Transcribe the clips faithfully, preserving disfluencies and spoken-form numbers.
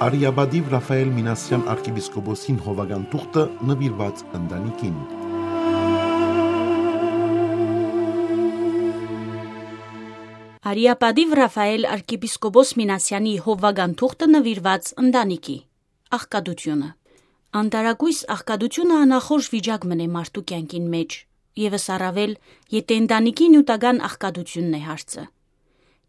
Արիապատիւ Ռաֆայէլ Մինասեան արքեպիսկոպոսին հովական թուղթը նուիրուած ընտանիքին։ Արիապատիւ Ռաֆայէլ արքեպիսկոպոս Մինասեանի հովական թուղթը նուիրուած ընտանիքի։ Աղքատութիւնը։ Անտարակոյս աղքատութիւնը անախորժ վիճակ մըն է մարդու կեանքին մէջ, եւս առաւել, եթէ ընտանիքի նիւթական աղքատութիւնն է հարցը։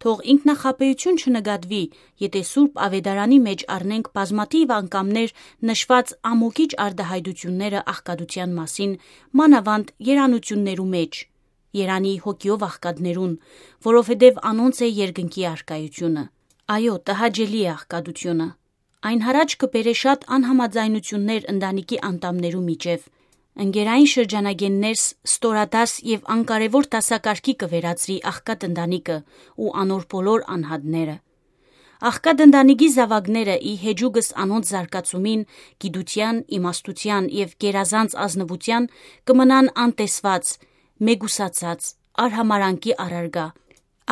Թող ինքնախաբէութիւն չնկատուի, եթէ Սուրբ Աւետարանի մէջ առնենք բազմաթիւ անգամներ նշուած ամոքիչ արտայայտութիւնները աղքատութեան մասին, մանաւանդ երանութիւններու մէջ, երանի հոգիով աղքատներուն, որովհետեւ անոնց է երկնքի առկայութիւնը։ Այո, տհաճելի է աղքատութիւնը։ Այն յառաջ կը բերէ շատ անհամաձայնութիւններ ընտանիքի անդամներու միջեւ, ընկերային շրջանագէն ներս ստորադաս եւ անկարեւոր դասակարգի կը վերածուի աղքատ ընտանիքը ու անոր բոլոր անհատները։ Աղքատ ընտանիքի զաւակները ի հեճուկս անոնց զարգացումին, գիտութեան, իմաստութեան եւ գերազանց ազնուութեան կը մնան անտեսուած, մեկուսացած, արհամարանքի առարկայ։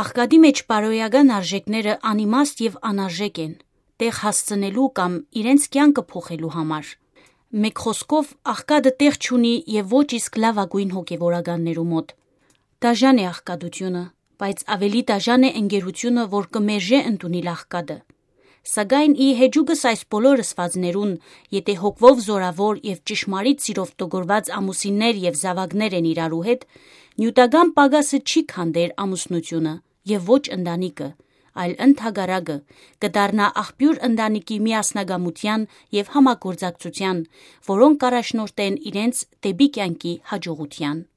Աղքատի մէջ բարոյական արժեքները անիմաստ եւ անարժեք են, տեղ հասցնելու կամ իրենց կեանքը փոխելու համար։ Մէկ խօսքով, աղքատը տեղ չունի եւ ոչ իսկ լաւագոյն հոգեվորականներու մօտ։ Դաժան է աղքատութիւնը, բայց աւելի դաժան է ընկերութիւնը, որ կը մերժէ ընդունիլ աղքատը։ Սակայն ի հեճուկս այս բոլոր ըսուածներուն, եթէ հոգվով զօրաւոր եւ ճշմարիտ սիրով տոգորուած ամուսիններ եւ զաւակներ են իրարու հետ, նիւթական պակասը չի քանդեր ամուսնութիւնը եւ ոչ ընտանիքը, այլ ընդհակառակը, կը դառնայ աղբիւր ընտանիքի միասնակամութեան եւ համագործակցութեան, որոնք կ'առաջնորդեն իրենց դէպի կեանքի յաջողութեան։